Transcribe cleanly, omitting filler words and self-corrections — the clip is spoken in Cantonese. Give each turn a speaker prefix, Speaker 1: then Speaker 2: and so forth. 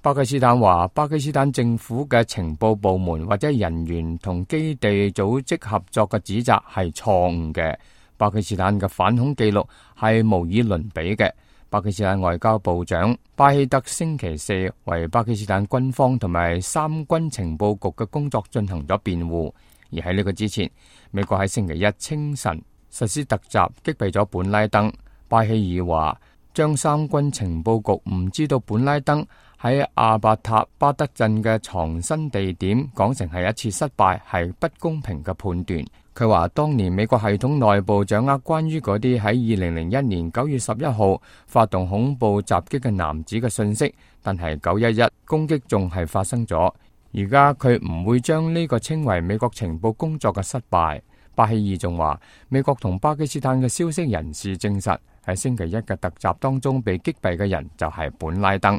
Speaker 1: 巴基斯坦話，巴基斯坦政府嘅情報部門或者人員同基地組織合作嘅指責係錯誤嘅。巴基斯坦嘅反恐記錄係無以倫比嘅。巴基斯坦外交部長巴希德星期四為巴基斯坦軍方同埋三軍情報局嘅工作進行咗辯護。而喺呢個之前，美國喺星期一清晨實施突襲擊斃咗本拉登。巴希爾話，將三軍情報局唔知道本拉登喺阿伯塔巴德鎮嘅藏身地點講成係一次失敗，係不公平嘅判斷。佢話當年美國系統內部掌握關於嗰啲喺2001年9月11號發動恐怖襲擊嘅男子嘅信息，但係911攻擊仲係發生咗。而家佢唔會將呢個稱為美國情報工作嘅失敗。巴希爾仲話，美國同巴基斯坦嘅消息人士證實，喺星期一嘅突襲當中被擊斃嘅人就係本拉登。